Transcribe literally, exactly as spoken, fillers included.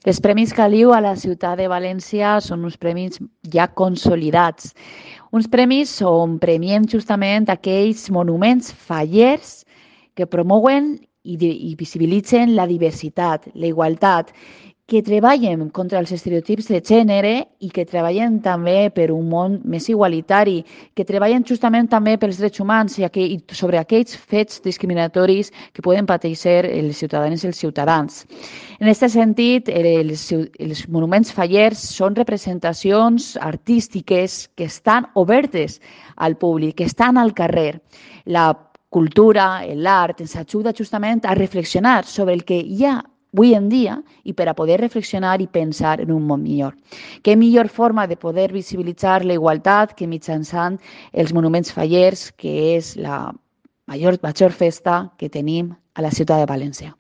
Els Premis Caliu a la ciutat de València són uns premis ja consolidats. Uns premis on premiem justament aquells monuments fallers que promouen i, i visibilitzen la diversitat, la igualtat, que treballen contra els estereotips de gènere i que treballen també per un món més igualitari, que treballen justament també pels drets humans i, aqu i sobre aquells fets discriminatoris que poden pateixer els ciutadans i els ciutadans. En aquest sentit, els, els monuments fallers són representacions artístiques que estan obertes al públic, que estan al carrer. La cultura, l'art, ens ajuda justament a reflexionar sobre el que hi ha avui en dia i per a poder reflexionar i pensar en un món millor. Què millor forma de poder visibilitzar la igualtat que mitjançant els monuments fallers, que és la major, major festa que tenim a la ciutat de València.